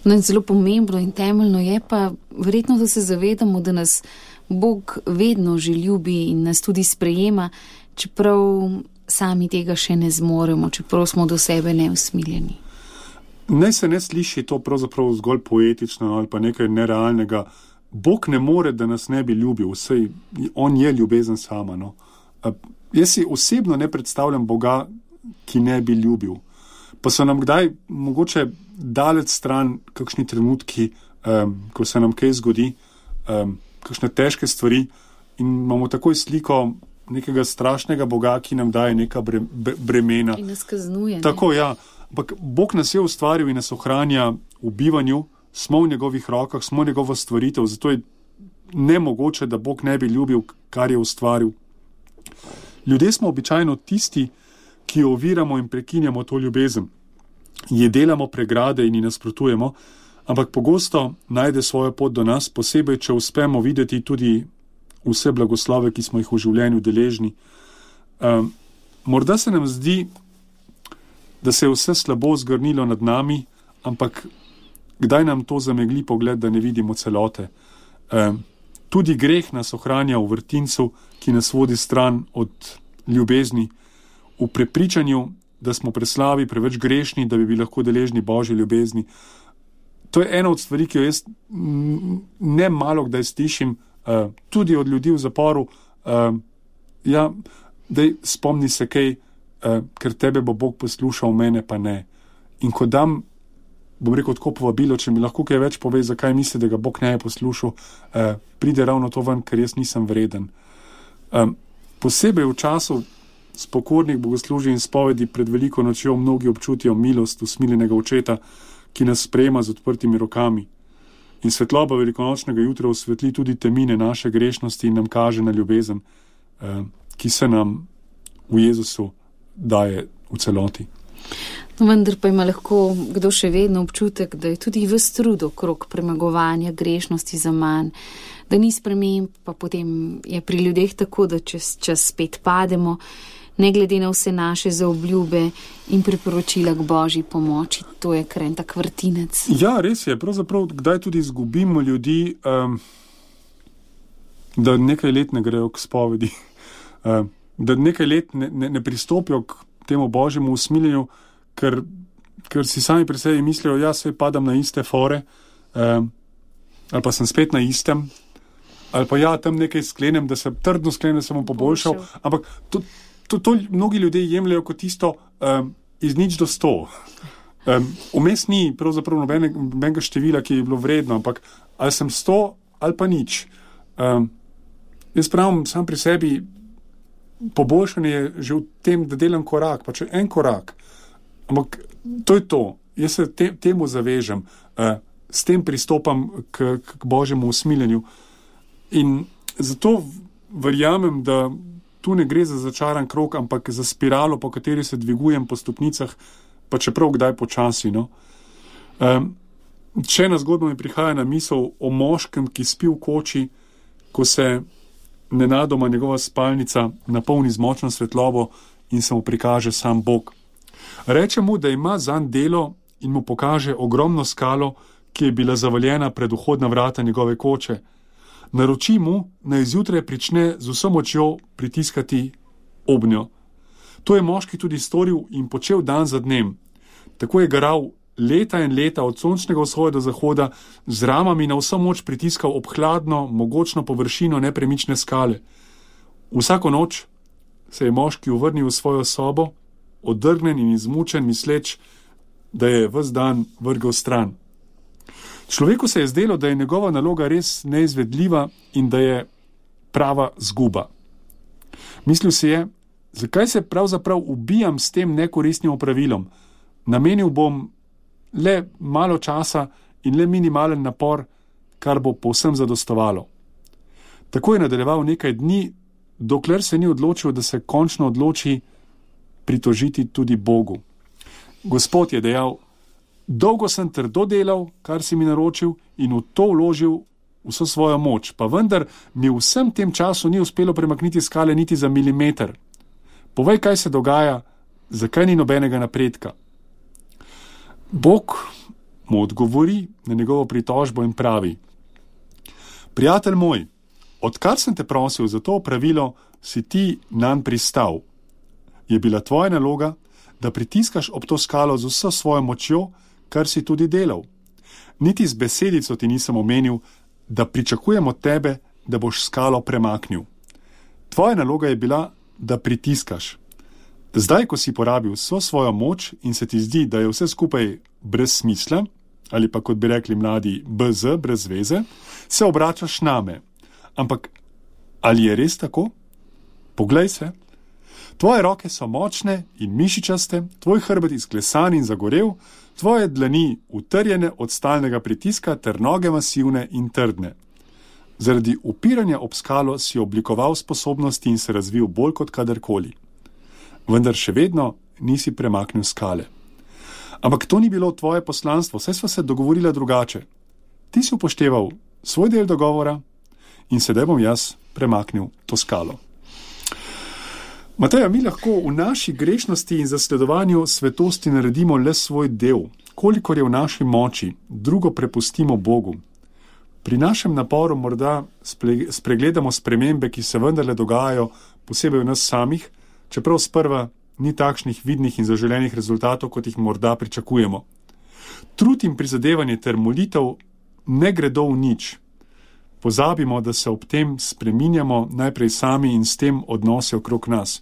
No, zelo pomembno in temeljno je pa verjetno, da se zavedamo, da nas Bog vedno že ljubi in nas tudi sprejema, čeprav sami tega še ne zmoremo, čeprav smo do sebe neusmiljeni. Naj se ne sliši to pravzaprav zgolj poetično ali pa nekaj nerealnega. Bog ne more, da nas ne bi ljubil, vsej on je ljubezen sama. No. Jaz si osebno ne predstavljam Boga, ki ne bi ljubil. Pa so nam kdaj mogoče daleč stran kakšni trenutki, um, ko se nam kaj zgodi, um, kakšne težke stvari in imamo takoj sliko nekega strašnega Boga, ki nam daje neka bre, bremena. In nas kaznuje. Tako, ja. Ampak Bog nas je ustvaril in nas ohranja v bivanju, smo v njegovih rokah, smo njegova stvaritev, zato je nemogoče, da Bog ne bi ljubil, kar je ustvaril. Ljudje smo običajno tisti, ki oviramo in prekinjamo to ljubezen. Je delamo pregrade in ji nasprotujemo, ampak pogosto najde svojo pot do nas, posebej, če uspemo videti tudi vse blagoslove, ki smo jih v življenju deležni. Um, morda se nam zdi, da se je vse slabo zgrnilo nad nami, ampak kdaj nam to zamegli pogled, da ne vidimo celote. E, tudi greh nas ohranja v vrtincu, ki nas vodi stran od ljubezni, v prepričanju, da smo preslabi, preveč grešni, da bi bili lahko deležni Božje ljubezni. To je ena od stvari, ki jo jaz ne malo kdaj slišim, e, tudi od ljudi v zaporu. E, ja, daj spomni se kaj, Uh, ker tebe bo Bog poslušal, mene pa ne. In ko dam, bom rekel tako povabilo, če mi lahko kaj več pove, zakaj misli, da ga Bog ne je poslušal, uh, pride ravno to ven, ker jaz nisem vreden. Um, posebej v času spokornih bogoslužij in spovedi pred veliko nočjo mnogi občutijo milost usmiljenega očeta, ki nas sprejema z odprtimi rokami. In svetloba velikonočnega jutra osvetli tudi temine naše grešnosti in nam kaže na ljubezen, uh, ki se nam v Jezusu daje v celoti. Vendar pa ima lahko kdo še vedno občutek, da je tudi ves trud okrog premagovanja grešnosti za manj, da ni sprememb, pa potem je pri ljudeh tako, da čez čas spet pademo, ne glede na vse naše zaobljube in priporočila k Božji pomoči. To je kar en tak vrtinec. Ja, res je. Pravzaprav, kdaj tudi izgubimo ljudi, um, da nekaj let ne grejo k spovedi, um, da nekaj let ne, ne, ne pristopijo k temu Božjemu usmiljenju, ker, ker si sami pri sebi mislijo, ja, se padam na iste fore, um, ali pa sem spet na istem, ali pa ja, tam nekaj sklenem, da se trdno sklenem, da sem bom poboljšal, ampak to, to, to mnogi ljudje jemljajo kot isto um, iz nič do sto. Um, vmes ni pravzaprav nobenega, nobenega števila, ki je bilo vredno, ampak ali sem sto ali pa nič. Um, jaz pravim sam pri sebi, poboljšanje je že v tem, da delam korak, pa če en korak, ampak to je to. Jaz se te, temu zavežem, uh, s tem pristopam k, k Božjemu usmiljenju. In zato verjamem, da tu ne gre za začaran krog, ampak za spiralo, po kateri se dvigujem po stopnicah, pa čeprav kdaj počasi. No? Um, Še ena zgodba mi prihaja na misel o moškem, ki spi v koči, ko se nenadoma njegova spalnica napolni z močno svetlobo in se mu prikaže sam Bog. Reče mu, da ima zanj delo in mu pokaže ogromno skalo, ki je bila zavaljena pred vhodna vrata njegove koče. Naroči mu, naj zjutraj prične z vso močjo pritiskati obnjo. To je moški tudi storil in počel dan za dnem. Tako je garal leta in leta od sončnega vzhoda do zahoda, z ramami na vso moč pritiskal ob hladno, mogočno površino nepremične skale. Vsako noč se je moški uvrnil v svojo sobo, odrgnen in izmučen, misleč, da je ves dan vrgel stran. Človeku se je zdelo, da je njegova naloga res neizvedljiva in da je prava zguba. Mislil si je, zakaj se pravzaprav ubijam s tem nekoristnim opravilom? Namenil bom le malo časa in le minimalen napor, kar bo povsem zadostovalo. Tako je nadaljeval nekaj dni, dokler se ni odločil, da se končno odloči pritožiti tudi Bogu. Gospod je dejal, dolgo sem trdo delal, kar si mi naročil, in v to vložil vso svojo moč, pa vendar mi v vsem tem času ni uspelo premakniti skale niti za milimeter. Povej, kaj se dogaja, zakaj ni nobenega napredka. Bog mu odgovori na njegovo pritožbo in pravi, prijatelj moj, odkar sem te prosil za to opravilo, si ti nanj pristal. Je bila tvoja naloga, da pritiskaš ob to skalo z vso svojo močjo, kar si tudi delal. Niti z besedico ti nisem omenil, da pričakujem od tebe, da boš skalo premaknil. Tvoja naloga je bila, da pritiskaš. Zdaj, ko si porabil vso svojo moč in se ti zdi, da je vse skupaj brez smisla, ali pa kot bi rekli mladi, brez, brez veze, se obračaš name. Ampak ali je res tako? Poglej se. Tvoje roke so močne in mišičaste, tvoj hrbet izklesan in zagorel, tvoje dlani utrjene od stalnega pritiska ter noge masivne in trdne. Zaradi upiranja ob skalo si oblikoval sposobnosti in se razvil bolj kot kadarkoli. Vendar še vedno nisi premaknil skale. Ampak to ni bilo tvoje poslanstvo, saj sva se dogovorila drugače. Ti si upošteval svoj del dogovora in sedaj bom jaz premaknil to skalo. Mateja, mi lahko v naši grešnosti in zasledovanju svetosti naredimo le svoj del, kolikor je v naši moči, drugo prepustimo Bogu. Pri našem naporu morda spregledamo spremembe, ki se vendarle dogajajo, posebej v nas samih, čeprav sprva ni takšnih vidnih in zaželenih rezultatov, kot jih morda pričakujemo. Trud in prizadevanje ter molitev ne gredo v nič. Pozabimo, da se ob tem spreminjamo najprej sami in s tem odnose okrog nas.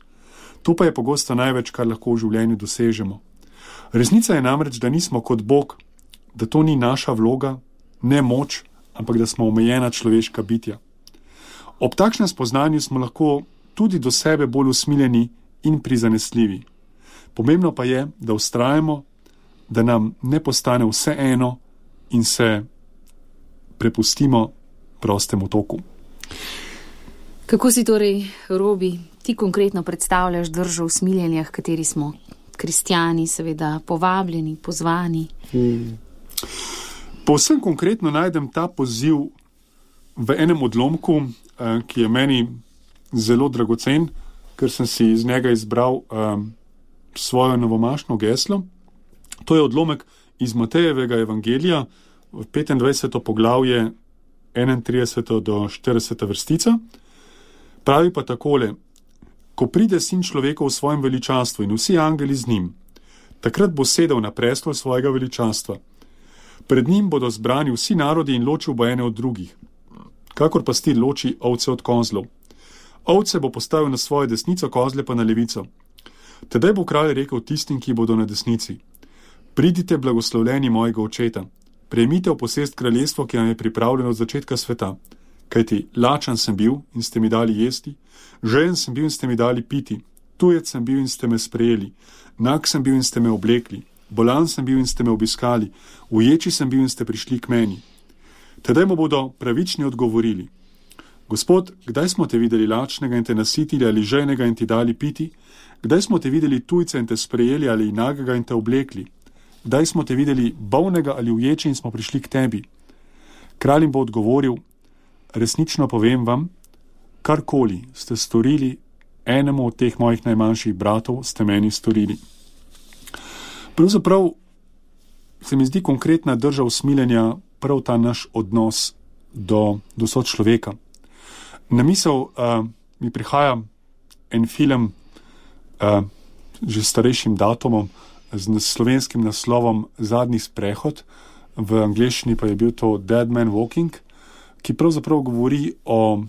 To pa je pogosto največ, kar lahko v življenju dosežemo. Resnica je namreč, da nismo kot Bog, da to ni naša vloga, ne moč, ampak da smo omejena človeška bitja. Ob takšnem spoznanju smo lahko tudi do sebe bolj usmiljeni in prizanesljivi. Pomembno pa je, da vztrajamo, da nam ne postane vse eno in se prepustimo prostemu toku. Kako si torej, Robi, ti konkretno predstavljaš držo usmiljenja, v kateri smo? kristjani seveda povabljeni, pozvani. Hmm. Povsem konkretno najdem ta poziv v enem odlomku, ki je meni zelo dragocen, ker sem si iz njega izbral um, svojo novomašno geslo. To je odlomek iz Matejevega evangelija, petindvajseto poglavje, enaintrideseto do štirideseta vrstica. Pravi pa takole: ko pride sin človeka v svojem veličanstvu in vsi angeli z njim, takrat bo sedel na prestol svojega veličanstva. Pred njim bodo zbrani vsi narodi in ločil bo ene od drugih, kakor pastir loči ovce od kozlov. Ovce bo postavil na svojo desnico, kozle pa na levico. Tedaj bo kralj rekel tistim, ki bodo na desnici: pridite, blagoslovljeni mojega očeta, prejmite v posest kraljestvo, ki vam je pripravljeno od začetka sveta. Kajti lačan sem bil in ste mi dali jesti, žejen sem bil in ste mi dali piti, tujec sem bil in ste me sprejeli, nag sem bil in ste me oblekli, bolan sem bil in ste me obiskali, uječi sem bil in ste prišli k meni. Tedaj mu bodo pravični odgovorili: Gospod, kdaj smo te videli lačnega in te nasitili, ali žejnega in ti dali piti? Kdaj smo te videli tujca in te sprejeli, ali nagega in te oblekli? Kdaj smo te videli bolnega ali uječi in smo prišli k tebi? Kralj jim bo odgovoril: resnično povem vam, karkoli ste storili enemu od teh mojih najmanjših bratov, ste meni storili. Pravzaprav se mi zdi konkretna drža usmiljenja prav ta naš odnos do, do sočloveka. Na misel uh, mi prihaja en film uh, že starejšim datumom z slovenskim naslovom Zadnji sprehod, v angleščini pa je bil to Dead Man Walking, ki pravzaprav govori o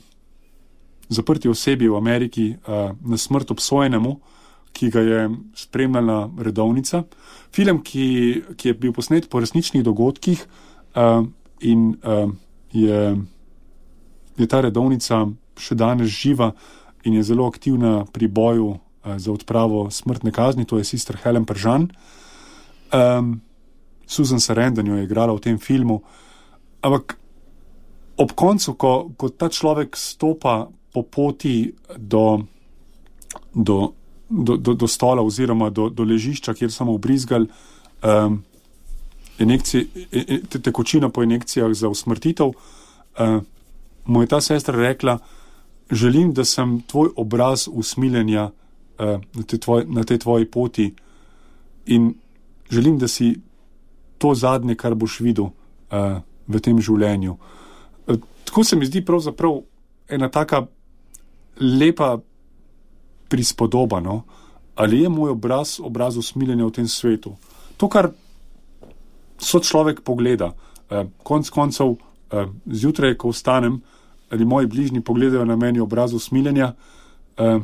zaprti osebi v Ameriki uh, na smrt obsojenemu, ki ga je spremljala redovnica. Film, ki, ki je bil posnet po resničnih dogodkih uh, in uh, je, je ta redovnica še danes živa in je zelo aktivna pri boju uh, za odpravo smrtne kazni, to je sister Helen Pržan. Um, Susan Sarandon jo je igrala v tem filmu, ampak ob koncu, ko, ko ta človek stopa po poti do, do, do, do, do stola oziroma do, do ležišča, kjer so mu vbrizgali um, injekcije, te, tekočina po injekcijah za usmrtitev, uh, mu je ta sestra rekla: želim, da sem tvoj obraz usmiljenja uh, na, te tvoj, na tej tvoji poti in želim, da si to zadnje, kar boš videl uh, v tem življenju. Uh, tako se mi zdi pravzaprav ena taka lepa prispodoba, no? Ali je moj obraz obraz usmiljenja v tem svetu? To, kar so človek pogleda. Eh, konc koncev, eh, zjutraj, ko vstanem, ali moji bližnji pogledajo na meni obraz usmiljenja, eh,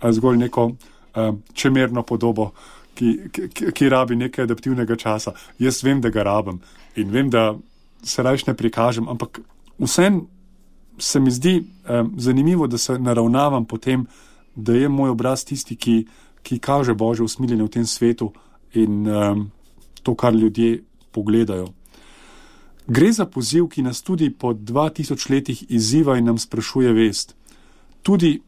ali zgolj neko eh, čemerno podobo, ki, ki, ki rabi nekaj adaptivnega časa. Jaz vem, da ga rabim in vem, da se rajš ne prikažem, ampak vsem se mi zdi eh, zanimivo, da se naravnavam potem, da je moj obraz tisti, ki, ki kaže Božje usmiljenje v tem svetu in eh, to, kar ljudje pogledajo. Gre za poziv, ki nas tudi po dva tisoč letih izziva in nam sprašuje vest. Tudi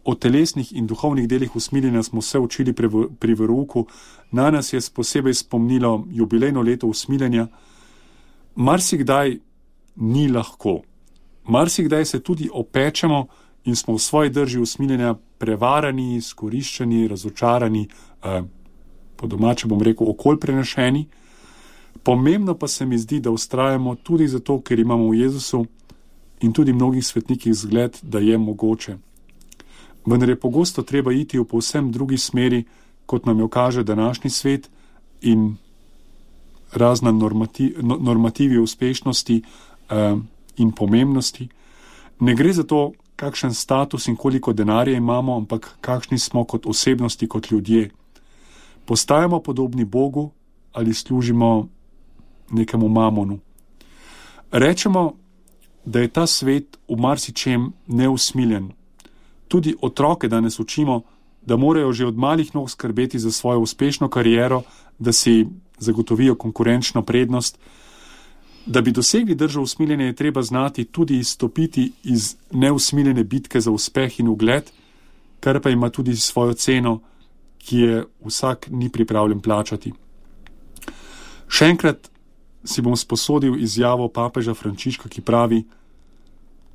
o telesnih in duhovnih delih usmiljenja smo se učili pri, pri verouku. Na nas je posebej spomnilo jubilejno leto usmiljenja. Marsikdaj ni lahko. Marsikdaj se tudi opečemo in smo v svoji drži usmiljenja prevarani, izkoriščeni, razočarani, eh, po domače bom rekel, okolj prenešeni. Pomembno pa se mi zdi, da vztrajamo tudi zato, ker imamo v Jezusu in tudi mnogih svetnikih zgled, da je mogoče. Vendar je pogosto treba iti v povsem drugi smeri, kot nam jo kaže današnji svet in razna normativ, normativi uspešnosti uh, in pomembnosti. Ne gre za to, kakšen status in koliko denarja imamo, ampak kakšni smo kot osebnosti, kot ljudje. Postajamo podobni Bogu ali služimo nekemu mamonu. Rečemo, da je ta svet v marsičem neusmiljen. Tudi otroke danes učimo, da morajo že od malih nog skrbeti za svojo uspešno kariero, da si zagotovijo konkurenčno prednost. Da bi dosegli držo usmiljenja, je treba znati tudi izstopiti iz neusmiljene bitke za uspeh in ugled, kar pa ima tudi svojo ceno, ki je vsak ni pripravljen plačati. Še enkrat si bom sposodil izjavo papeža Frančiška, ki pravi: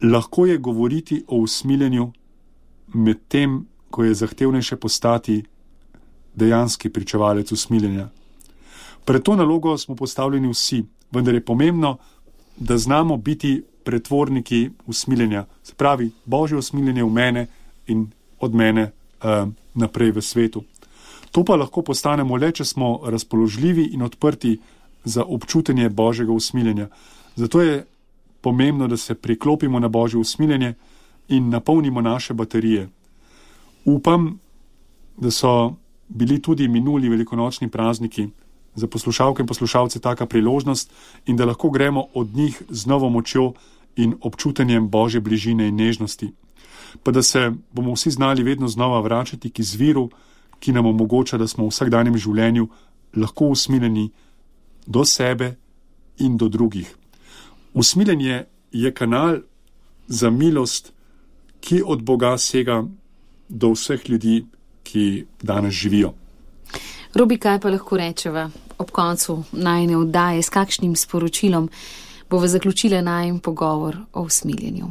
lahko je govoriti o usmiljenju, med tem, ko je zahtevnejše postati dejanski pričevalec usmiljenja. Pred to nalogo smo postavljeni vsi, vendar je pomembno, da znamo biti pretvorniki usmiljenja. Se pravi, Božje usmiljenje v mene in od mene uh, naprej v svetu. To pa lahko postanemo le, če smo razpoložljivi in odprti za občutenje Božjega usmiljenja. Zato je pomembno, da se priklopimo na Božje usmiljenje in napolnimo naše baterije. Upam, da so bili tudi minuli velikonočni prazniki za poslušalke in poslušalce taka priložnost in da lahko gremo od njih z novo močjo in občutenjem Božje bližine in nežnosti. Pa da se bomo vsi znali vedno znova vračati k izviru, ki nam omogoča, da smo v vsakdanjem življenju lahko usmiljeni do sebe in do drugih. Usmiljenje je kanal za milost, ki od Boga sega do vseh ljudi, ki danes živijo. Robi, kaj pa lahko rečeva ob koncu najine oddaje, s kakšnim sporočilom bova zaključila najin pogovor o usmiljenju?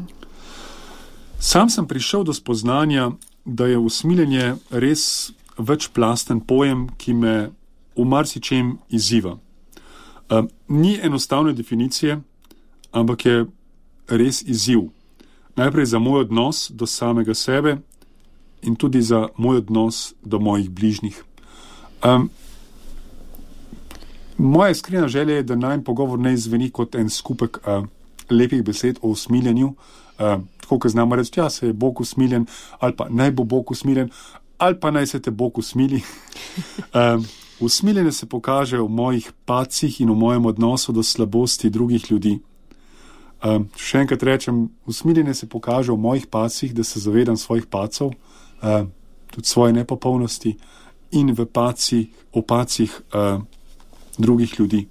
Sam sem prišel do spoznanja, da je usmiljenje res večplasten pojem, ki me v marsičem izziva. Uh, ni enostavne definicije, ampak je res izziv. Najprej za moj odnos do samega sebe in tudi za moj odnos do mojih bližnjih. Um, moja iskrena želja je, da najin pogovor ne izveni kot en skupek uh, lepih besed o usmiljenju, uh, tako, ko znamo reči, ja, se je Bog usmiljen, ali pa naj bo Bog usmiljen, ali pa naj se te Bog usmili. um, Usmiljenje se kaže v mojih pacih in v mojem odnosu do slabosti drugih ljudi. Um, še enkrat rečem, usmiljenje se pokaže v mojih pacih, da se zavedam svojih pacov, uh, tudi svoje nepopolnosti in v pacih, v pacih uh, drugih ljudi.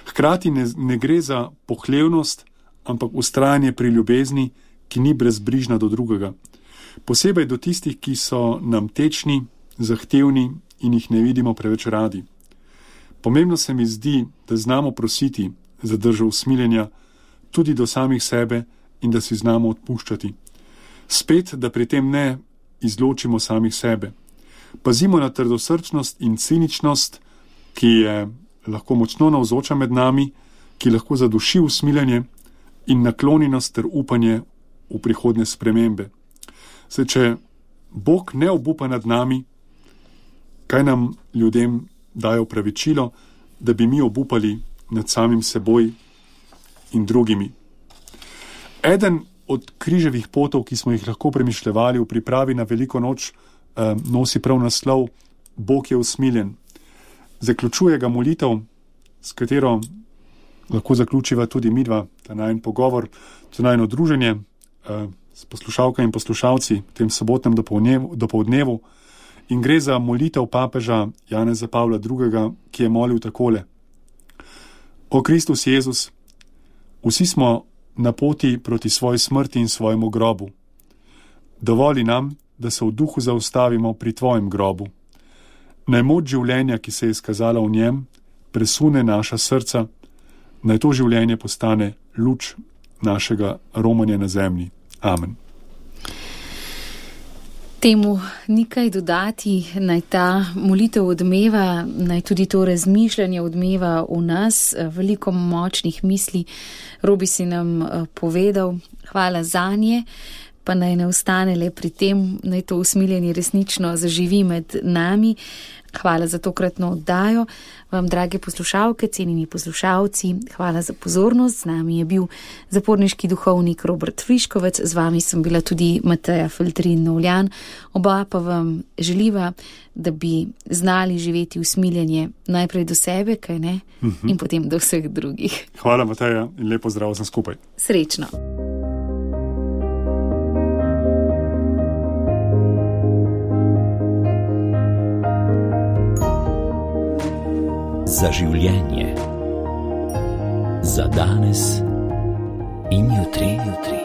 Hkrati ne, ne gre za pohlevnost, ampak vztrajanje pri ljubezni, ki ni brezbrižna do drugega. Posebej do tistih, ki so nam tečni, zahtevni in jih ne vidimo preveč radi. Pomembno se mi zdi, da znamo prositi za držo usmiljenja tudi do samih sebe in da si znamo odpuščati. Spet, da pri tem ne izločimo samih sebe. Pazimo na trdosrčnost in ciničnost, ki je lahko močno navzoča med nami, ki lahko zaduši usmiljenje in naklonjenost ter upanje v prihodne spremembe. Se, če Bog ne obupa nad nami, kaj nam ljudem daje opravičilo, da bi mi obupali nad samim seboj in drugimi. Eden od križevih potov, ki smo jih lahko premišljevali v pripravi na veliko noč, eh, nosi prav naslov Bog je usmiljen. Zaključuje ga molitev, s katero lahko zaključiva tudi midva, ta najin pogovor, to najino druženje eh, s poslušalkami in poslušalci v tem sobotnem dopoldnevu. In gre za molitev papeža Janeza Pavla drugega, ki je molil takole: O Kristus Jezus, vsi smo na poti proti svoji smrti in svojemu grobu. Dovoli nam, da se v duhu zaustavimo pri tvojem grobu. Naj moč življenja, ki se je izkazala v njem, presune naša srca, naj to življenje postane luč našega romanja na zemlji. Amen. Temu nikaj dodati, naj ta molitev odmeva, naj tudi to razmišljanje odmeva v nas, veliko močnih misli. Robi si nam povedal, hvala zanje, pa naj ne ostane le pri tem, naj to usmiljenje resnično zaživi med nami. Hvala za tokratno oddajo. Vam, drage poslušalke, cenjeni poslušalci, hvala za pozornost. Z nami je bil zaporniški duhovnik Robert Friškovec, z vami sem bila tudi Mateja Feltrin-Novljan. Oba pa vam želiva, da bi znali živeti usmiljenje najprej do sebe, kaj ne, uh-huh. in potem do vseh drugih. Hvala, Mateja, in lepo zdrav sem skupaj. Srečno. Za življenje, za danes in jutri, jutri.